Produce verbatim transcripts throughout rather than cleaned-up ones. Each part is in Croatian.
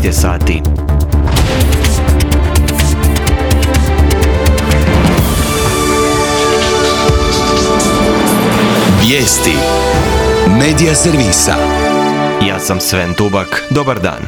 je sati. Vijesti Medija servisa. Ja sam Sven Tubak, dobar dan.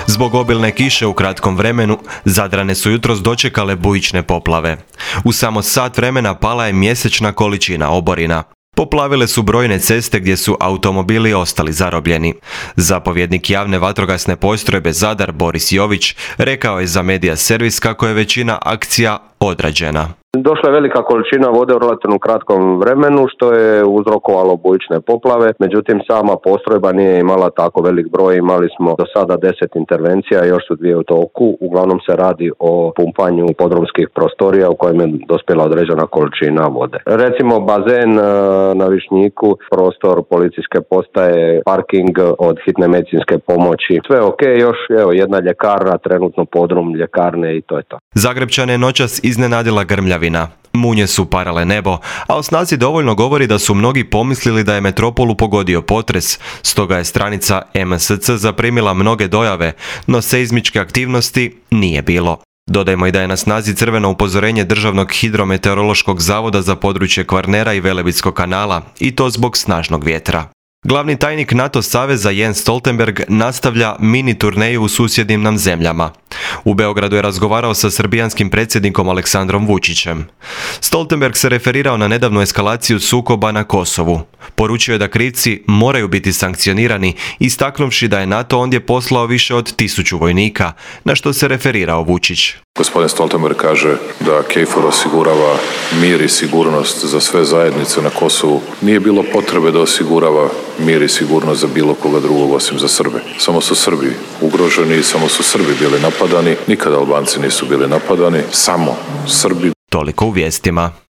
Zbog obilne kiše u kratkom vremenu, Zadrane su jutros dočekale bujične poplave. U samo sat vremena pala je mjesečna količina oborina. Poplavile su brojne ceste gdje su automobili ostali zarobljeni. Zapovjednik javne vatrogasne postrojbe Zadar Boris Jović rekao je za Medija servis kako je većina akcija odrađena. Došla je velika količina vode u relativno kratkom vremenu što je uzrokovalo bujične poplave, međutim sama postrojba nije imala tako velik broj, imali smo do sada deset intervencija, još su dvije u toku, uglavnom se radi o pumpanju podrumskih prostorija u kojem je dospjela određena količina vode. Recimo bazen na Višnjiku, prostor policijske postaje, parking od hitne medicinske pomoći, sve ok, još evo jedna ljekarna, trenutno podrum ljekarne i to je to. Zagrepčane je noćas iznenadila grmljavina. Munje su parale nebo, a o snazi dovoljno govori da su mnogi pomislili da je metropolu pogodio potres, stoga je stranica M S C zaprimila mnoge dojave, no seizmičke aktivnosti nije bilo. Dodajmo i da je na snazi crveno upozorenje Državnog hidrometeorološkog zavoda za područje Kvarnera i Velebitskog kanala, i to zbog snažnog vjetra. Glavni tajnik NATO saveza Jens Stoltenberg nastavlja mini turneju u susjednim nam zemljama. U Beogradu je razgovarao sa srbijanskim predsjednikom Aleksandrom Vučićem. Stoltenberg se referirao na nedavnu eskalaciju sukoba na Kosovu. Poručio je da krivci moraju biti sankcionirani, istaknuvši da je NATO ondje poslao više od tisuću vojnika, na što se referirao Vučić. Gospodin Stoltenberg kaže da KFOR osigurava mir i sigurnost za sve zajednice na Kosovu. Nije bilo potrebe da osigurava mir i sigurnost za bilo koga drugog osim za Srbe. Samo su Srbi ugroženi i samo su Srbi bili napadani. Nikada Albanci nisu bili napadani, samo Srbi. Toliko u vijestima.